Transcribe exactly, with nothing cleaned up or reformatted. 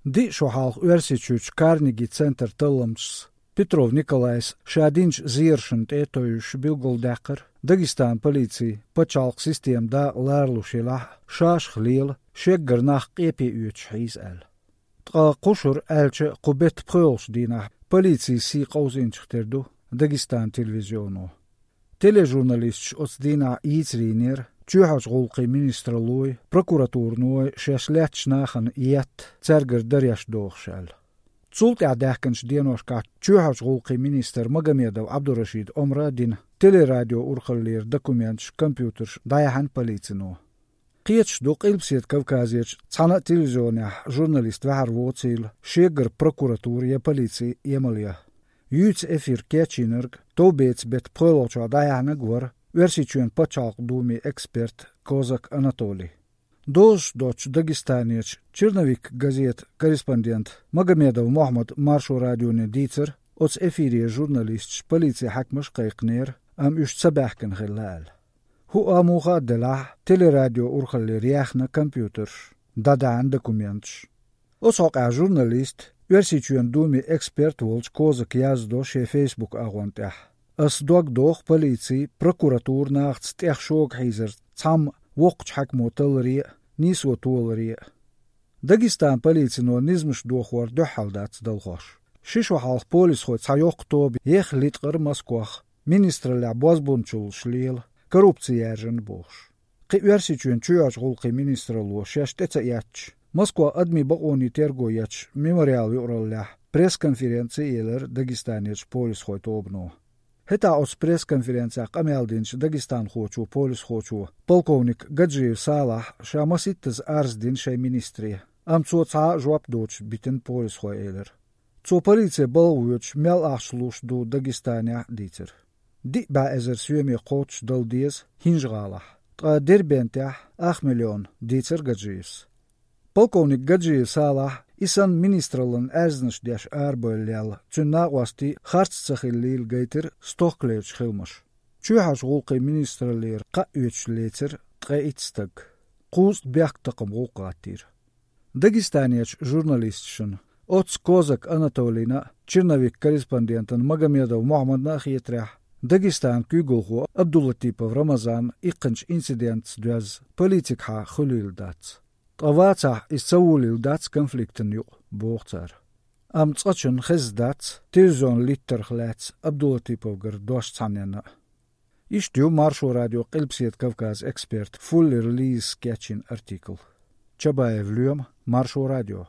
Диъ шо хьалха Оьрсийчуьрчу Карнеги центр талламчас Петров Николайс ша динчу зерашна тӀе а тевжаш билгалдаьккхира, Дагестанан полицин пачхьалкхан система дакъа ларалуш елахь а, шашах лела, шеггара нах къепе оьцуш хьийза аьлла. Ткъа кхушара аьлча а кху беттан пхоьалгӀачу дийнахь полицин сий къовсийначух тера ду Дагестанан телевизионо. Тележурналисташ оцу дийнахь йийцар йинера чоьхьарчу гӀуллакхийн министраллой, прокуратураной шаьш лаьттачу нахана етта, цаьргара дареш дохуш аьлла. Цул тӀаьхьа даьхкинчу деношкахь чоьхьарчу гӀуллакхийн министра Магомедов Ӏабдурашида омра а дина, телерадио урхаллера документаш, компьютерш дӀаяьхьна полицино. Кхеташ ду Къилбаседа Кавказерчу цхьана а телевизионехь журналист ваьхьар воцийла, шеггара прокуратура я полици емал ян. Юьйцу эфир кечйинарг товбецан беттан пхоьалгӀачохь дӀаяьхьнарг вара Оьрсийчоьнан пачхьалкхан думин эксперт Козак Анатолий. Дозуш доцчу Дагестанерчу «Черновик» газетан корреспондента Магомедов Мохьмада Маршо радионе дийцира, оцу эфире журналисташ полицин хьаькамаш а кхайкхинера, амма уьш ца баьхкина хилла аьлла. ХӀуъа муха а делахь, телерадио урхаллера яьхна компьютерш, дӀадаьхьна документаш. Оцу хьокъехь журналиста, Оьрсийчоьнан думин эксперт волчу Козака яздо шен Facebook агӀон тӀехь: «Ас дог доху полици, прокуратура нахаца тӀех шога хьийзарца цхьамма воккхачу хьаькамо талларе а, нийсо толаре а». Дагестанан полицино низамаш дохор дуьххьал дац далхош. Ши шо хьалха полисхойн цхьа йоккха тоба ехха литкъира Москох, министраллехь бозбунчаллаш лела, коррупци яьржина бохуш. Кхин Оьрсийчоьнан чоьхьарчу гӀуллакхийн министралло шаьш тӀе ца эцча, Москва адамийн бакъонийн терго ечу «Мемориал» юкъараллехь пресс-конференци а елира Дагестанерчу полисхойн тобано. ХӀетахь оцу пресс-конференцехь къамел динчу дагестанхочо, полисхочо, полковник Гаджиев Салахь ша масийттаза арз дина шайн министре, амма цо цхьа а жоп доцуш битина полисхойн, элира. Цо полице балха воьдуш мел ахча луш ду Дагестанехь а дийцира. Диъ бӀе эзар соьме кхоччуш дала деза ХӀинжа-ГӀалахь, ткъа Дербентехь ах миллион, дийцира Гаджиевс. Полковник Гаджиев Салахь и санна министраллина аьрзнаш деш арабевлла лелла, цуьнан накъостий харц ца хиллийла гайтира стохкалерчу хиламаша. Чоьхьарчу гӀуллакхийн министраллера кхаъ оьцуш лецира ткъе итт стаг. Кхузткъа бехктакхаман гӀуллакх гӀаттийра. Дагестанерчу журналисташна, оццу Козак Анатолийна а, «Черновик» корреспондентана Магомедов Мохьмадна а хетарехь, Дагестанан куьйгалхо Абдулатипов Рамазан иккхинчу инцидентца доьзна политикахьа хуьлийла дац. Ткъа вацахь, иза ца волийла дац конфликтана юкъа, боху цара. Амма цкъачунна хезна дац телевизионан литтарх лаьцна Абдулатиповгара дош цхьанненна а. Иштта ю Маршо радион Къилбаседа Кавказан эксперт Фуллер Лизас кечйина артикл. Чабаев Лоьма, Маршо радио.